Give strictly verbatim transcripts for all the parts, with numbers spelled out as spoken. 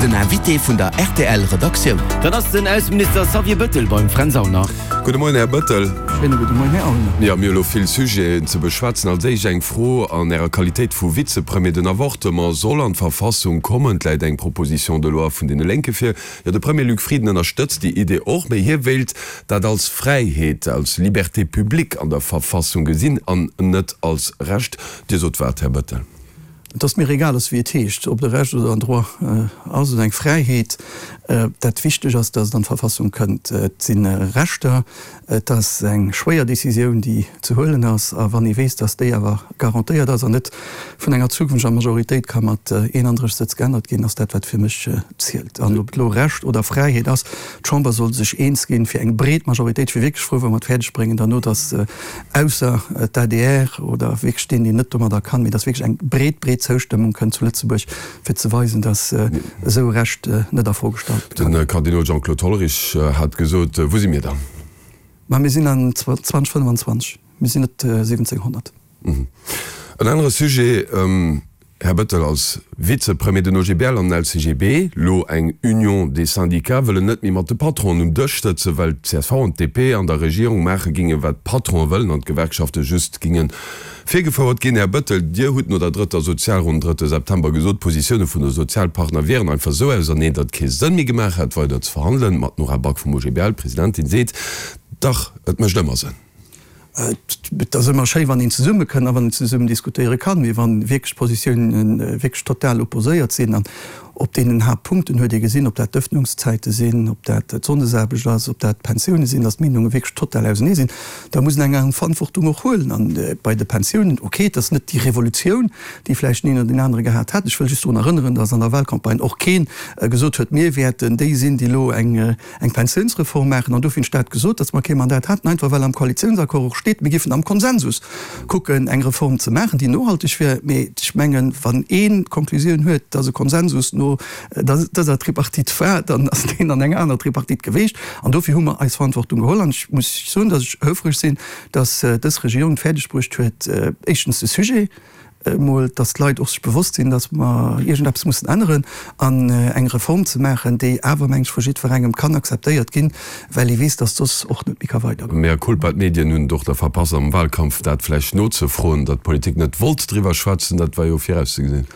Den Invité vun der R T L Redaktioun. Dat ass den Ausseminister Xavier Bëttel beim Fränz Aulner. Gudde Moien, Här Bëttel. Schéine gudde Moien, Här Aulner. Jo, mir hu lo vill Sujeten ze beschwätzen. Als éischt eng Fro an Ärer Qualitéit vu Vizepremier. Den Avortement soll an d'Verfassung kommen. Et läit eng Proposition de loi vun deene Lénke vir. Jo, de Premier Luc Frieden ënnerstëtzt déi Idee och, mee hie wéilt dat als Fräiheet, als Liberté publique an der Verfassung gesinn an net als Recht. Dir sot wat, Här Bëttel? Et ass mir egal ass, wéi et heescht, ob et e Recht oder en Droit ass oder eng Fräiheet. Dat wichteg ass, datt et an d'Verfassung kënnt. Et si Rechter, et ass eng schwéier Décisioun, déi ze huelen ass. A wann ee weess, datt déi awer garantéiert ass an net vun enger zukünfteger Majoritéit ka mat eenandrësseg Sëtz geännert ginn, ass dat, wat fir mech zielt. An ob et elo Recht oder Fräiheet ass, d'Chamber soll sech eens ginn, fir eng breet Majoritéit. Ech wier wierklech frou, wa mer et fäerdeg bréngen derno, datt ausser d'A D R oder wierklech deen, deen net domadder kann, mee datt wierklech eng breet, breet Zoustëmmung kënnt zu Lëtzebuerg, fir ze weisen, datt esou e Recht net a Fro gestallt kann. De Kardinol Jean-Claude Hollerich hat gesot, Wou si mir dann? Ma mir sinn an zweedausendfënnefenzwanzeg, mir sinn net siwwenzénghonnert. En anere Sujet, Här Bëttel, als Vizepremier, den O G B L an den L C G B, lo eng Union des syndicats, wëllen net méi mat de Patronen um Dësch sëtzen, well d'C S V an d'D P an der Regierung maache gingen, wat d'Patronen wëllen an d'Gewerkschafte just gingen virgefouert ginn. Här Bëttel, Dir hutt no der drëtter Sozialronn drëtte September gesot, d'Positioune vun de Sozialpartner wieren einfach esou auserneen, datt et kee Sënn méi gemaach hätt, weider ze verhandelen. Ma d'Nora Back vum O G B L, Presidentin, seet, Dach, et mécht ëmmer Sënn. Et ass ëmmer schéi, wann een zesumme kënnt a wann een zesummen diskutéiere kann, mee wann wierklech d'Positiounen wierklech total opposéiert sinn an op deenen Haaptpunkten huet ee gesinn, ob dat d'Ëffnungszäite sinn, ob dat d'Sonndesaarbecht ass, ob dat d'Pensioune sinn, datt d'Meenunge wierklech total ausenee sinn, da muss een eng Verantwortung och huelen. An bei de Pensiounen, okay, et ass net déi Revolutioun, déi vläicht den een oder deen anere gehat hätt. Ech wëll just drun erënneren, datt an der Wahlcampagne och keen gesot huet, mir wäerten déi sinn, déi elo eng eng Pensiounsreform maachen. An dofir hunn ech dat gesot, datt mer kee Mandat haten, einfach well am Koalitiounsaccord och steet, mir géifen am Konsensus kucken, eng Reform ze maachen, déi nohalteg wär. Mee ech mengen, wann een d'Konklusioun huet, datt e Konsensus no dëser Tripartite war, dann ass deen an enger aner Tripartite geweecht. An dofir hu mer eis Verantwortung geholl. An ech muss soen, datt ech houfreg sinn, datt dës Regierung et fäerdeg bruecht huet, éischtens de Sujet emol, datt d'Leit och sech bewosst sinn, datt mer iergendeppes mussen änneren, an eng Reform ze maachen, déi awer, meng ech, vu jiddwerengem kann akzeptéiert ginn, well ee weess, datt soss och net méi ka weidergoen. Mea culpa, d'Medien hunn et och da verpasst, am Wahlkampf dat vläicht nozefroen, datt d'Politik net wollt driwwer schwätzen, dat war jo virauszegesinn.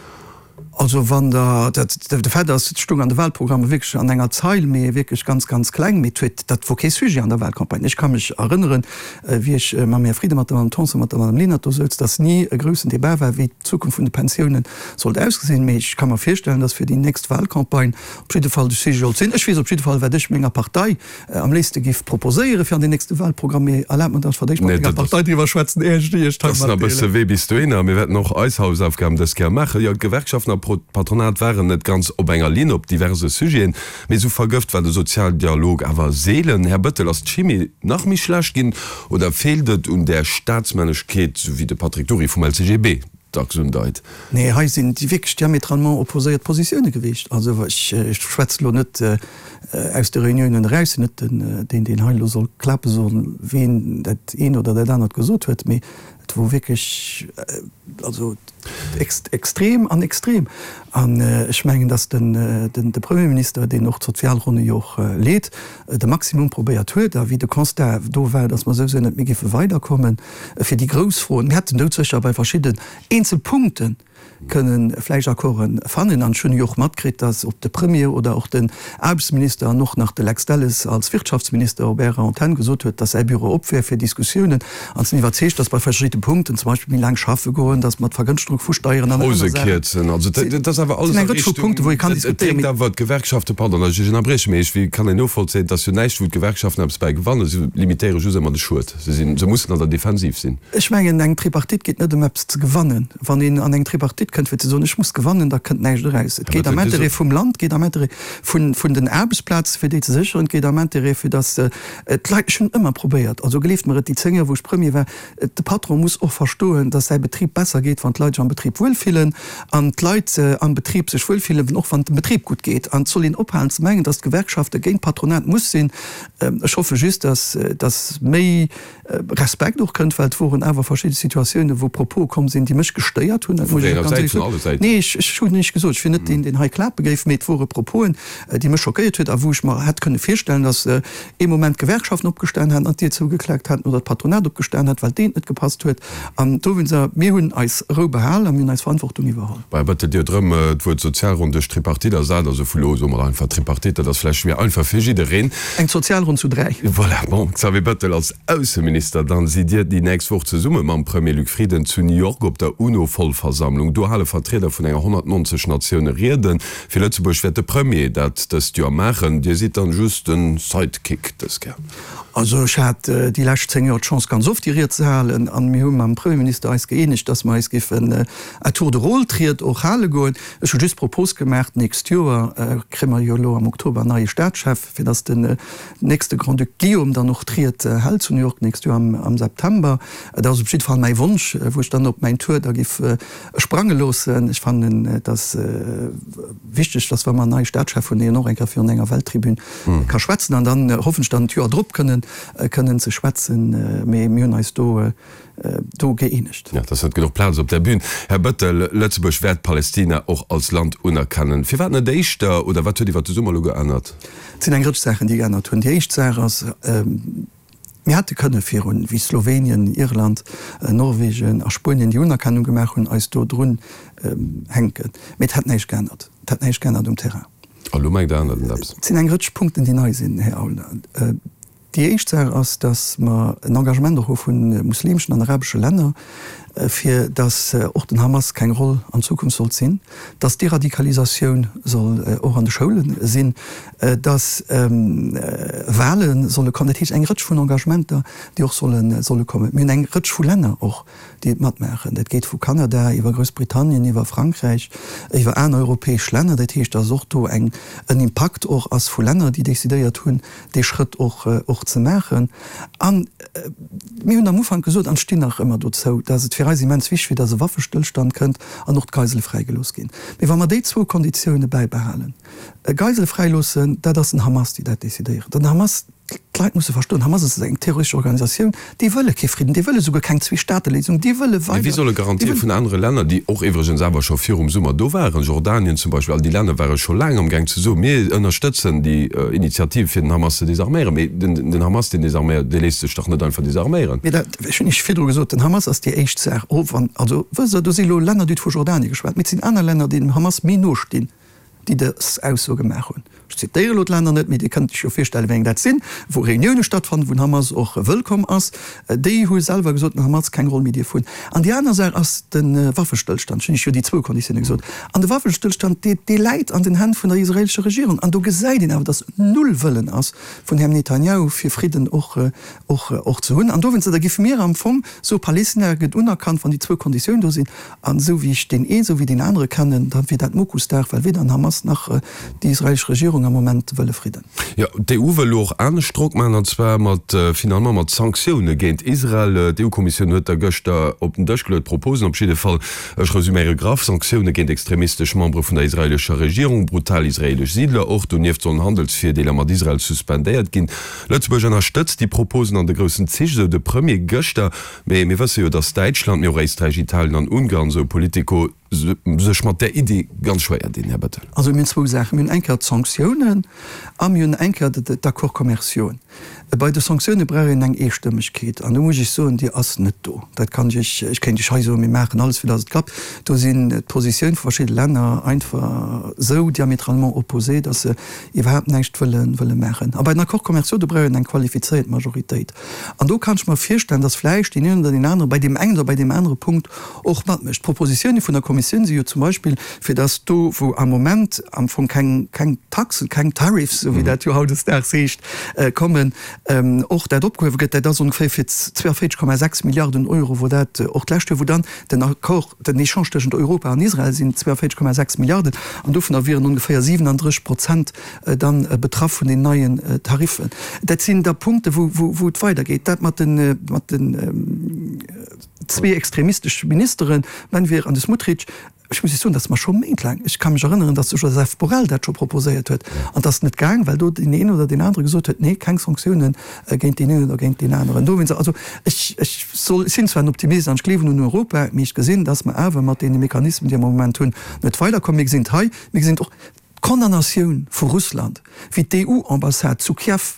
Also wann Der, dat, de Fait ass, et stoung an de Wahlprogrammer wierklech an enger Zeil, mee wierklech ganz, ganz kleng, mee et huet, dat wor kee Sujet an der Wahlcampagne. Ech ka mech erënneren, wéi ech mam Här Frieden, mat der Madame Tanson, mat der Madame Lenert do souz, dass ni e groussen Débat war, wéi d'Zukunft vun de Pensiounen sollt ausgesinn. Mee ech ka mer virstellen, dass fir déi nächst Wahlcampagne op jidde Fall de Sujet sollt sinn. Ech weess op jidde Fall, wat ech menger Partei am léifste giff proposéieren fir an den nächste Wahlprogramm, mee erlaabt mer, dass ech fir d'éischt mat menger Partei driwwer schwätzen, éier ech déi iech hei Dat ass nach e bësse matdeelen. Wee bis dohinner. Mir wäerten och eis Hausaufgaben dës Kéier maachen. Jo, d'Gewerkschaften a Patronat waren net ganz op enger Linn op diverse Sujeten, mee esou vergëft war de Sozialdialog awer seelen. Här Bëttel, ass d'Chimie nach méi schlecht ginn oder feelt et un där Staatsmänneschkeet, esou wéi de Patrick Dury vum L C G B dacks undeit? Nee, hei sinn déi wierklech diamétralement opposéiert Positioune gewiescht. Also ech schwätze lo net aus de Reuniounen eraus, sinn net den, deen, deen hei elo soll klape soen, ween dat eent oder dat anert gesot huet, mee et wor wierklech, also extrem an extrem. An ech mengen, datt den de Premierminister, deen och d'Sozialronne jo och leet, de Maximum probéiert huet. A wéi de Constat do war, datt mer souwisou net méi géife weiderkommen fir déi grouss Froen, mir hätten doudsécher bei verschidden eenzel Punkte kënnen vläicht Accorden fannen. An ech hunn jo och matkritt, datt ob de Premier oder och den Aarbechtsminister an och nach de Lex Delles als Wirtschaftsminister op Ärer Antenn gesot huet, datt säi Büro op wär fir Diskussiounen. An sinn iwwerzeegt, datt bei verschidde Punkten, zum Beispill méi laang schaffe goen, datt mat Vergënschtegung vu Steieren an aner Pause Saachen, kierzen, also dat ass awer sinn alles eng a Rëtsch vu Richtung, Punkten, wou ee kann et diskutéieren, dréckt mee. awer d'Gewerkschaften, pardon, datt ech Iech ënnerbriechen, mee ech, wéi kann een novollzéien, et ass jo näischt, wou d'Gewerkschaften eppes bäi gewannen, se limitéiere just ëmmer de Schued, se sinn, se mussen an der Defensiv sinn. Ech mengen, eng Tripartite geet net ëm eppes ze gewannen. Wann een an eng Tripartite kënnt, fir ze soen, ech muss gewannen, da kënnt näischt eraus. Et Här geet am Bettel, Dir Intérêt sot. vum Land, et geet am Intérêt vun, vun den Aarbechtsplaze, fir déi ze sécheren, et geet am Intérêt, fir datt d'Leit, ech hunn ëmmer probéiert, also gleeft mer et, déi zéng Joer, wou ech Premier war, de Patron muss muss och verstoen, dass säi Betrib besser geet, wann d'Leit sech am Betrib wuelfillen, an d'Leit am Betrib sech wuelfillen, och wann et dem Betrib gutt geet. An et soll een ophalen ze mengen, dass d'Gewerkschafte géint d'Patronat muss sinn. Ech hoffe just, dass, dass méi Respekt och kënnt, well et woren awer verschidde Situatiounen, wou Propose komm sinn, déi mech gestéiert hunn. Dat muss ech och ganz éierlech soen. Nee, ech, ech hunn näischt gesot. Ech wier net deen, deen hei klape géif, mee et wore Proposen, déi mech schockéiert huet a wou ech mer hätt kënne virstellen, dass ee Moment d'Gewerkschaften opgestan hätten an d'Dier zougeklaakt hätten oder d'Patronat opgestan hätt, well deenen et net gepasst huet. An dowéinster, mir hunn eis Rou behal a mir hunn eis Verantwortung iwwerholl. Bei Bëttel Dir huet erëm d'Wuert Sozialronn duerch Tripartite ersat. Also vu elo soe mer einfach Tripartite, dat ass vläicht méi einfach fir jiddereen. Eng Sozialronn zu dräi. Voilà. Bon, Xavier Bëttel als Ausseminister, dann sidd Dir déi nächst Woch zesumme mam Premier Luc Frieden zu New York op der UNO-Vollversammlung. Do hale Vertrieder vun enger honnertnonzeg Natioune Rieden. Fir Lëtzebuerg wäert de Premier dat dëst Joer maachen. Dir sidd dann just den Sidekick dës Kéier. Also ech hat déi lescht zéng Joer d'Chance ganz oft déi Ried ze halen an mir hu mam Premierminister eis gëeenegt, datt mer eis géifen à tour de rôle d'Ried och hale goen. Ech hu just d'Propos gemaach, d'nächst Joer kréie mer jo elo am Oktober en neie Staatschef, fir datt den nächste Grand-Duc Guillaume dann och d'Ried hält zu New York d'nächst Joer am September. Dat ass op jidde Fall mäi Wonsch, wou ech dann op mäin Tour da géif sprange loossen. Ech fannen, et ass wichteg, datt wa mer en neie Staatschef hunn, deen och eng Kéier virun enger Welttribün ka schwätzen. An dann hoffen ech dann d'Joer drop kënnen kënnen ze schwätzen. Mee mir hunn eis do do gëeenegt. Jo, et ass net genuch Plaz op där Bühn. Här Bettel, Lëtzebuerg wäert Palästina och als Land unerkennen. Firwat net éischter? Oder wat huet iwwer de Summer elo geännert? Et sinn eng Rëtsch Saachen, déi geännert hunn. Déi éischt Saach ass, Mir hätte kënne virun, wéi Slowenien, Irland, Norwegen a Spuenien déi Unerkennung gemaach hunn, eis do drun hänken. Mee et hätt näischt geännert. Et hätt näischt geännert um Terrain. A lo mengt Der, ännert et eppes? Et sinn eng Rëtsch Punkten, déi nei sinn, Här Aulner. Déi éischt Saach ass, datt mer en Engagement och hu vu muslimschen an arabesche Länner, fir datt och den Hamas keng Roll an Zukunft sollt sinn, datt d'Deradikalisatioun soll och an de Schoule sinn, datt Wahle solle kommen. Dat heescht eng Rëtsch vun Engagementer, déi och solle kommen. Mir hunn eng Rëtsch vu Länner och, déi et matmaachen. Dat geet vu Kanada iwwer Groussbritannien, iwwer Frankräich, iwwer aner europäesch Länner. Dat heescht, datt och do en Impakt och ass vu Länner, déi decidéiert hunn, dee Schrëtt och och ze maachen. An mir hunn am Ufank gesot, an stinn nach ëmmer dozou, datt et fir eis immens wichteg wier, datt e Waffestëllstand kënnt an och d'Geisele fräigelooss ginn. Mee wa mer déi zwou Konditioune bäibehalen, Geisele fräiloossen, dat ass den Hamas, déi dat decidéieren. Den Hamas, d'Leit musse verstoen, Hamas ass eng terroristesch Organisatioun, déi wëlle kee Fridden, déi wëlle souguer keng Zwee-Staate-Léisung, déi wëlle weider. Mee wéi solle Garantië vun anere Länner, déi och iwwregens awer scho virum Summer do waren, Jordanien zum Beispill, all déi Länner ware scho laang amgaang ze soen, mir ënnerstëtzen déi Initiativ fir den Hamas ze desarméieren. Mee den Hamas, deen desarméiert, dee léisst sech dach net einfach desarméieren. Mee dat, ech hunn Iech virdru gesot, den Hamas ass déi éischt Saach. Och wann, also wësst Der, do si elo Länner, déi hutt vu Jordanien geschwat, mee et sinn aner Länner, déi dem Hamas méi no stinn, déi dës Ausso gemaach hunn. Ech zitéiere elo d'Länner net, mee Dir kënnt Iech jo virstellen, wéi eng dat sinn, wou Reunioune stattfannen, wou den Hamas och wëllkomm ass. Déi hu selwer gesot, den Hamas keng Roll méi dierf hunn. An déi aner Saach ass de Waffestëllstand. Ech hunn Iech jo déi zwou Konditioune gesot. An de Waffestëllstand, dee, dee läit an den Hänn vun der israeelescher Regierung. An do gesäit een awer, datt null Wëllen ass vun Här Netanjahu, fir Fridden och, och, och ze hunn. An dowéinster, da géife mir am Fong soe, Palästina gëtt unerkannt, wann déi zwou Konditiounen do sinn. An esou wéi ech deen een, esou wéi deen anere kennen, da wier dat Mokusdag, well weder den Hamas nach déi israelesch Regierung am Moment wëlle Fridden. Jo, d'EU wëll elo och anescht Drock maachen, an zwar mat finalement mat Sanktioune géint Israel. D'EU-Kommissioun huet der gëschter op den Dësch geluet, Proposen op jidde Fall. Ech resuméiere graff, Sanktioune géint extremistesch Membere vun der israelescher Regierung, brutal israelesch Siidler och. Donieft sollen Handelsvirdeeler mat Israel suspendéiert ginn. Lëtzebuerg ënnerstëtzt déi Proposen an de groussen Zich, esou de Premier gëschter. Mee mir wësse jo, datt Däitschland, mee och Éisträich, Italien an Ungarn, esou Politico, sech mat där Iddi ganz schwéier dinn, Här Bettel. Also mir hunn zwou Saachen. Mir hunn eng Kéier d'Sanktiounen a mir hunn eng Kéier d'Accords commerciauxen. Bei de Sanktioune brauch een eng Eestëmmegkeet an do muss ech soen, déi ass net do. Dat kann ech Iech, ech kéint Iech hei soen, mir maachen alles, fir datt et klappt. Do sinn d'Positioun vu verschidde Länner einfach esou diamétralement opposé, datt se iwwerhaapt näischt wëlle wëlle maachen. A bei den Accords commerciaux, do brauch een eng qualifizéiert Majoritéit. An do kann ech mer virstellen, dass vläicht deen een oder deen anere bei deem engen oder bei deem anere Punkt och matmécht. D'Propositioune vun der Kommissioun Kommissioun si jo zum Beispill, fir dass do, wou am Moment am Fong keng, keng Taxen, keng Tariffs, esou wéi dat jo hautdesdaags heescht, kommen, och dat opgehuewe gëtt. Dat ass ongeféier fir zweiundvéierzeg Komma sechs Milliarden Euro, wou dat och d'lescht Joer, wou dann den Accord, den Echange tëschent Europa an Israel sinn zweiundvéierzeg Komma sechs Milliarden, an dovunner wieren ongeféier siwenandrësseg Prozent dann betraff vun den neien Tariffen. Dat sinn da Punkte wou, wou, wou et weidergeet. Dat mat den, mat den zwee extremistesche Ministeren, Ben-Gvir an de Smotrich, ech muss Iech soen, dat ass mer scho méintlaang, ech ka mech erënneren, datt de Joseph Borrell dat scho proposéiert huet, an et ass net gaang, well do deen een oder deen anere gesot huet, nee, keng Sanktiounen géint deen een oder géint deen aneren. Dowéinst, also ech, ech soll, ech sinn zwar en Optimist an ech gleewen un Europa, mee ech gesinn, datt mer awer mat deene Mechanismen, déi mer am Moment hunn, net weiderkommen. Mir gesinn et hei, mir gesinn et och d'Condamnatioun vu Russland, wéi d'EU-Ambassade zu Kiew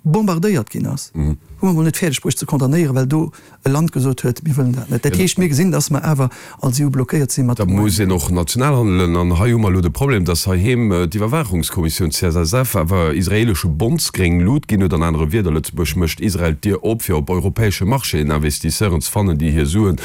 bombardéiert ginn ass, hu mer emol net fäerdeg bruecht ze condamnéieren, well do e Land gesot huet, mir wëllen dat net. Dat heescht, mir gesinn, datt mer awer als EU blockéiert si mat Da muss een och national handelen. An hei hu mer elo de Problem, datt heiheem d'Iwwerwaachungskommissioun C S S F awer israeelesche Bonds gréng Lut ginn huet. An anere Wierder, Lëtzebuerg mécht Israel d'Dier op, fir op europäesche Marchéen Investisseuren ze fannen, déi hir Suen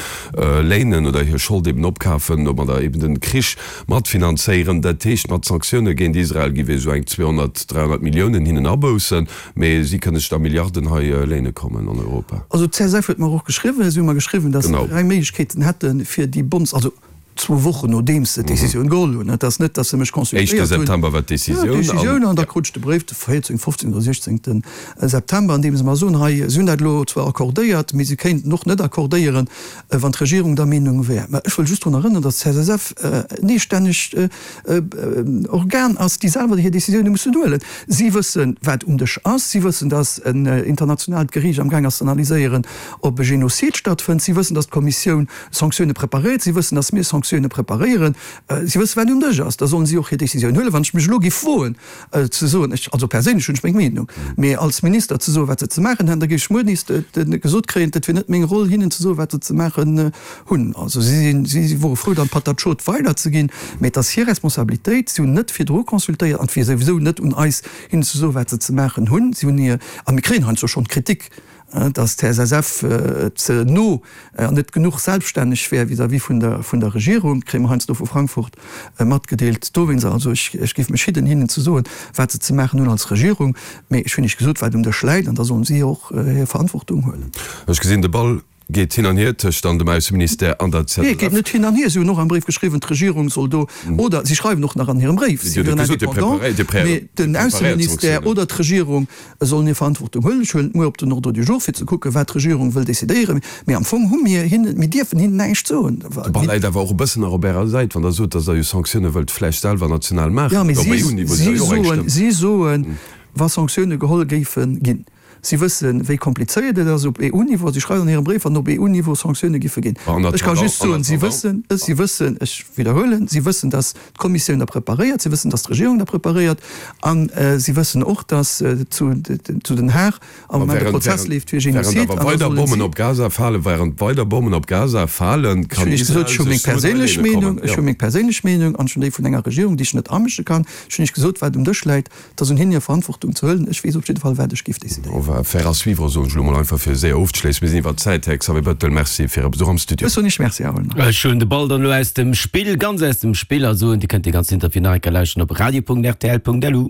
léinen oder hir Schold eben opkafen, domadder eben den Krich matfinanzéieren. Dat heescht, mat Sanktioune géint Israel gi wir esou eng zweehonnert, dräihonnert Milliounen hinnen aboussen, mee si kënne sech da Milliarden hei léine kommen an Europa. Also d'C S F huet mer och geschriwwen, si hu mer geschriwwen, datt se dräi Méiglechkeeten hätten, fir déi Bonds, also zwou Wochen nodeems se d'Décisioun geholl hunn, et ass net, datt se mech consultéiert hunn. Éischte September war d'Décisioun. Ja, d'Décisioun, an da krut ech de Bréif de véierzéngten, fofzéngten oder siechzéngten September, an deem se mer soen, hei, si hunn dat elo zwar accordéiert, mee si kéinten och net accordéieren, wann d'Regierung der Meenung wär. Mä ech wëll just drun erënneren, datt d'C S S F en eestännegt Organ ass, déi selwer hir Décisioune mussen huelen. Si wëssen, wat um Dësch ass. Si wëssen, datt en internationaalt Geriicht amgaang ass ze analyséieren, ob e Genozid stattfënnt. Si wëssen, datt d'Kommissioun Sanktioune preparéiert. Si wëssen, datt mir Sanktioune preparéieren. Si wëssen, wat um Dësch ass. Da sollen si och hir Décisioun huelen. Wann ech mech elo géif woen ze soen, ech, also perséinlech hunn ech meng Meenung, mee als Minister ze soen, wat se ze maachen hätten, da géif ech muer nees gesot kréien, dat wier net meng Roll, hinnen ze soen, wat se ze maachen hunn. Also si sinn, si wore frou, dann d'Patat chaude weiderzeginn, mee et ass hir Responsabilitéit. Si hunn net virdru consultéiert an et wier souwisou net un eis, hinnen ze soen, wat se ze maachen hunn. Si hunn hir, a mir kréien heiansdo schonn Kritik, dass d'C S S F ze no an net genuch selbststänneg wär vis-à-vis vun der, vun der Regierung, kréie mer heiansdo vu Frankfurt matgedeelt. Dowéinst also, ech, ech géif mech hidden, hinnen ze soen, wat se ze maachen hunn als Regierung, mee ech hunn Iech gesot, wat um Dësch läit, an da sollen si och hir Verantwortung huelen. Ech gesinn, de Ball geet hin an hier tëscht dann dem Ausseministère an der Nee, et geet net hin an hier. Si hunn och am Bréif geschriwwen, d'Regierung soll do, oder si schreiwen och nach an hirem Bréif, si wieren indépendant, mee den Ausseministère oder d'Regierung sollen hir Verantwortung huelen. Ech huelen et muer op den Ordre du jour, fir ze kucken, wat d'Regierung wëll decidéieren. Mee am Fong hu mir hinnen, mir dierfen hinnen näischt soen. De Ball läit awer och e bëssen nach op Ärer Säit, wann Der sot, datt Der jo Sanktioune wëllt vläicht selwer national maachen. Jo, mee si soen, si soen, wa Sanktioune geholl géife ginn, si wëssen, wéi komplizéiert et ass op E U-Niveau, si schreiwen an hirem Bréif, wann op E U-Niveau Sanktioune giffe ginn. Ech ka just soen, si wëssen, si wëssen, ech widderhuelen, si wëssen, datt d'Kommissioun da preparéiert, si wëssen, datt d'Regierung da preparéiert a si wëssen och, datt zu zu Den Haag am Moment e Prozess leeft fir Genozid. An da sollen si. Bommen op Gaza falen, während weider Bommen op Gaza falen, kann Israel sech Suen hei léine kommen. Ech hu meng perséinlech Meenung an ech hunn déi vun enger Regierung, déi ech net amësche kann. Ech hunn Iech gesot, wat um Dësch läit. Et ass un hinnen hir Verantwortung ze huelen. Ech weess op jidde Fall, wat ech géif decidéieren. On va faire à suivre, soen ech elo mol einfach, fir séier ofzeschléissen. Mir sinn iwwer d'Zäit. Här Xavier Bettel, Merci fir Äre Besuch am Studio. Ech soen Iech Merci, Här Aulner. Ech huelen de Ball dann elo aus dem Spill, ganz aus dem Spill, a soen, Dir kënnt dee ganzen Interview nach eng Kéier lauschteren op radio Punkt rtl Punkt lu.